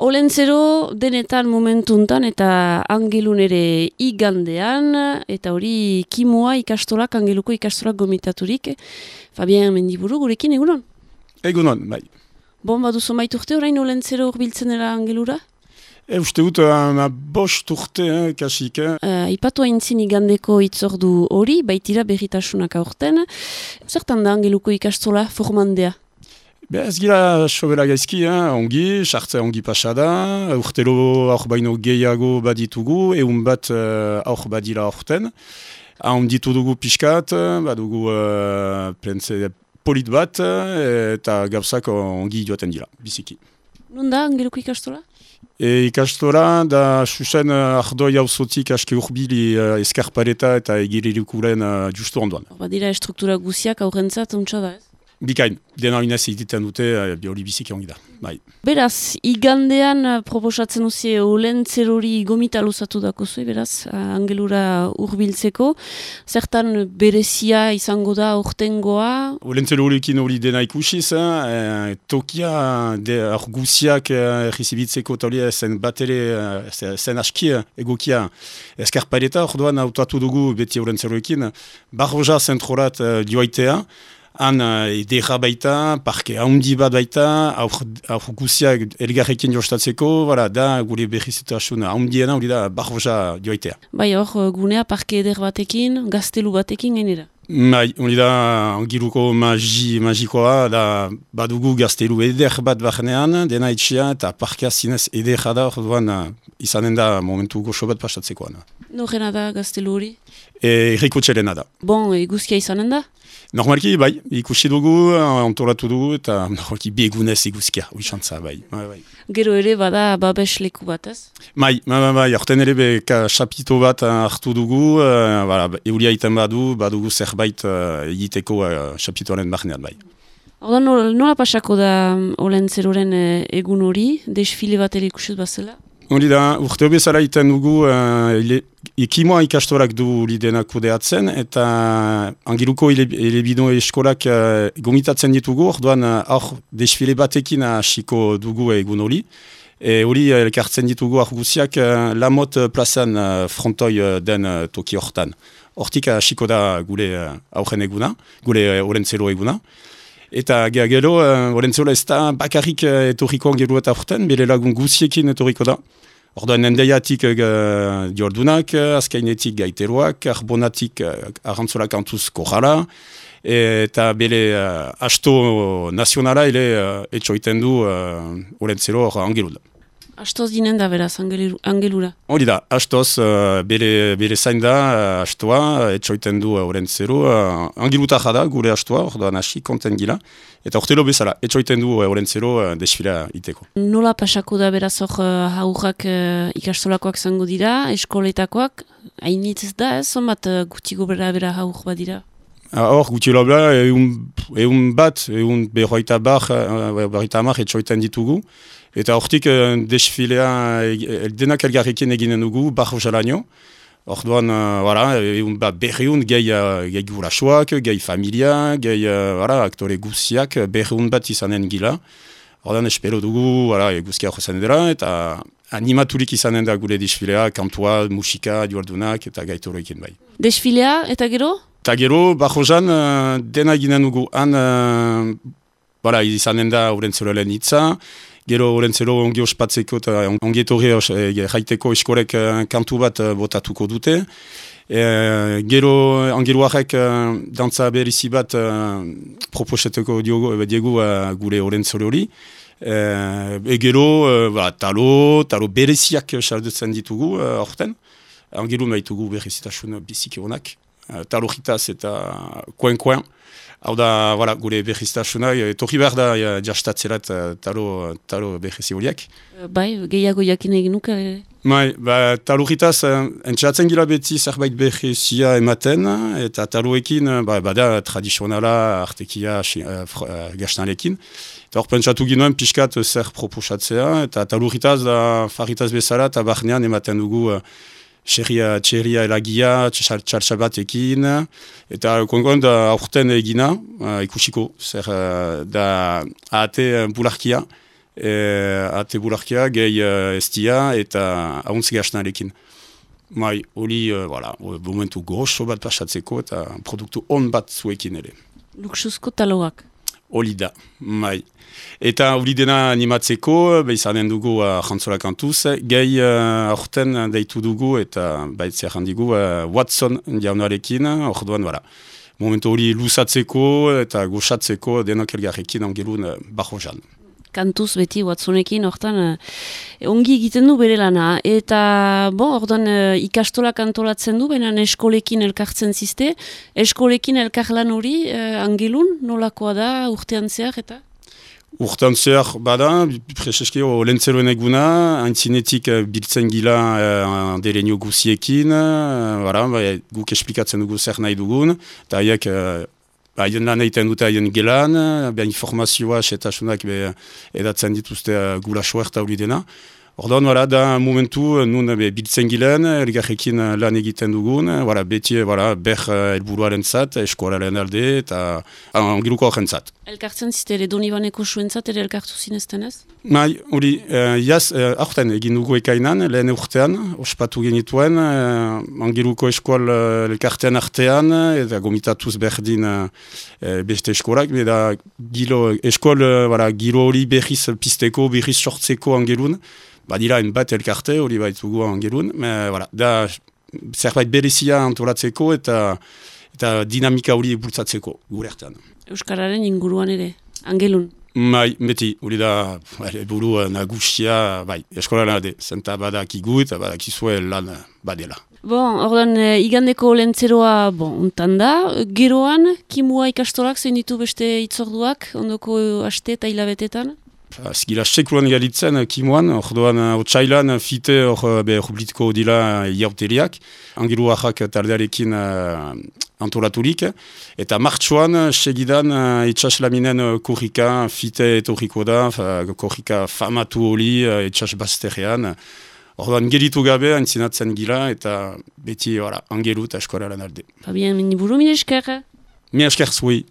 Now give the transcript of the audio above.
Olentzero denetan momentuntan eta Angelun ere igandean, eta hori kimua ikastolak, Angeluko ikastolak gomitaturik. Fabien Mendiburu, gurekin egunon? Egunon, bai. Bon, baduzu maiturte orain Olentzero urbiltzen dela Angelura? Uste dut, bost urte, kasik. Ipatu haintzin igandeko itzordu hori, baitira berritasunak aurten. Zertan da Angeluko ikastola formandea? Ez gira sobera gaizki, ongi, sartzea ongi pasada, urtero aur baino gehiago baditugu, egun bat aur badira aurten. Onditu dugu pixkat, badugu plentze polit bat, eta gauzak ongi joaten dira, biziki. Non da Angeluko ikastola? Ikastola da susen ardoi hauzotik aski urbili eskarpareta eta egirirukuren justu ondoan. Badira struktura guziak aurrentzat untsa da ez? Bikain, dena inez egiten dute, hori biziki ongi da. Bai. Beraz, igandean proposatzen uzie Olentzerori gomita luzatu dako zuen, beraz, Angelura urbiltzeko. Zertan berezia izango da ortengoa? Olentzerorikin hori dena ikusiz, tokia argusiak errizibitzeko talia zen batere, zen aski egokia eskarpareta, orduan hautatu dugu beti Olentzerorikin, Barroja zentrorat joaitea, han edera baita, parke haundi bat baita, aur guziak elgarrekin jostatzeko, da gure berrizitasun haundiena hori da Barroja joaitea. Bai hor, gunea parke eder batekin, gaztelu batekin gainera? Bai, hori da Angeluko magikoa, da badugu gaztelu eder bat barnean, dena etxea eta parkea zinez edera da, orduan izanen da momentu goxo bat pastatzekoan. Norena da gaztelu hori? Erriko txelena da. Bon, eguzkia izanen da? Normalki, bai, ikusi dugu, antolatu dugu, eta normalki begunez iguzkia, uixantza, bai. Gero ere bada babes leku bat, ez? Bai, aurten ere xapito bat hartu dugu, euria iten badugu zerbait egiteko xapitoaren barnean, bai. Ordan nola pasako da Olentzeroren egun hori, desfile bat ere ikusiz bazela? Hori da, urte bezala iten dugu, ekimoa ikastorak du lidenak kudeatzen, eta Angeluko elebidon eskolak gomitatzen ditugu, orduan hor desfile batekin hasiko dugu egun hori. Hori elkartzen ditugu argusiak Lamot plazan frontoi den toki hortan. Hortik hasiko da gure aurren eguna, gure Olentzero eguna. Eta gero, Olentzero ez da bakarrik etorriko Angelu eta urten, bere lagun guziekin etorriko da. Orduan endaiatik diordunak, azkainetik gaiteroak, arbonatik arrantzola kantuz korala, eta bere asto nazionala ere etxoiten du Olentzero Angelura. Astoz dinen da beraz Angelura? Hori da, astoz bere zain da astoa, etxoiten du Olentzero. Angeluta jada gure astoa, orduan hasi konten gila. Eta ortelo bezala, etxoiten du Olentzero desfilea iteko. Nola pasako da beraz hor haurrak ikastolakoak zango dira, eskoletakoak? Hainitz da ez, zonbat gutxiko bera haur bat dira? Hor, gutxilo bera, egun berroita amar etxoiten ditugu. Eta hortik desfilea denak elgarrekin eginen dugu, Barroja laino. Orduan, berriun gehi gurasoak, gehi familia, gehi aktore guziak, berriun bat izanen gila. Orduan, espero dugu, guzkia horrezen dira, eta animaturik izanen da gure desfilea, kantua, musika, duardunak, eta gaitoroekin bai. Desfilea, eta gero? Eta gero, Barrojan dena eginen dugu. Han, izanen da Olentzeroaren hitza. Gero Olentzero ongi ospatzeko eta ongi etorri jaiteko eskolek kantu bat botatuko dute. Gero Angeluarek dantza berrizi bat proposeteko diegu gure Olentzero hori. Gero talo bereziak saldutzen ditugu horten. Angelu maitugu berrizitasun biziki honak. Talo hitaz eta koen-koen. Hau da, gure berriztasuna, etorri behar da jastatzerat talo berrizi horiek. Bai, gehiago jakin egin nuke? Bai, talo hitaz, entxeratzen gila beti zerbait berrizia ematen, eta taloekin, bada tradizionala artekia gaztalekin. Eta hor pentsatu ginoen pixkat zer proposatzea, eta talo hitaz da farritaz bezala, eta barnean ematen dugu txerria elagia, txartxabatekin, eta konkon da aurten egina, ikusiko, zer da ahate bularkia, ate bularkia, gehi estia eta ahuntzi gasnarekin. Mai, hori, momentu grosso bat pasatzeko eta produktu on bat zuekin ere. Luxuzko taloak. Hori da, mai. Eta hori dena animatzeko, izanen dugu jantzolak kantuz, gehi aurten deitu dugu eta baitzea handigu Watson jaunarekin, orduan, momentu hori luzatzeko eta goxatzeko denok elgarrekin angelun bajo-jan. Kantuz beti Watsonekin, hortan ongi egiten du bere lana. Eta, ordan ikastolak antolatzen du, baina eskolekin elkartzen ziste. Eskolekin elkarlan hori, angelun, nolakoa da, urtean zehar, eta? Urtean zehar, bada, prezeski olentzeroen eguna, haintzinetik biltzen gila derenio guziekin, guk esplikatzen dugu zer nahi dugun, eta haiek haien lan egiten dute haien gelan, informazioa, setasunak edatzen dituzte gurasoa eta hori dena. Ordoan, da momentu, nun biltzen gilen, elgarrekin lan egiten dugun, beti ber helburuaren zat, eskolaren alde eta angiluko horren zat. Elkartzen zite ere Donibaneko suentzat ere elkartu zinezten ez? Mai, hori, aurten egin dugu ekainan, lehen urtean, ospatu genituen, angiluko eskol elkartean artean, eta gomitatuz berdin beste eskolak, eta eskol giro hori berriz pisteko, berriz sortzeko angilun, badira bat elkarte hori baitugu angelun, da zerbait berezia antolatzeko eta dinamika hori bultzatzeko gure artean. Euskararen inguruan ere, angelun? Bai, beti, hori da buru nagusia, eskolaren alde, zenta badakigu eta badakizue lan badela. Ordan, igandeko lentzeroa, ontan da, geroan, kimua ikastolak zein ditu beste itzorduak, ondoko aste eta hilabetetan? Zigila sekulan galitzen kimuan, orduan otsailan fite horbiltiko dila iauteriak, angilu ahak taldearekin antolaturik, eta martxoan segidan itxaslaminen korrika fite etorriko da, korrika famatu hori itxas bazterrean. Orduan geritu gabe antzinatzen gila eta beti angelu eta eskolaren alde. Fabien, buru mire esker? Mire esker zui.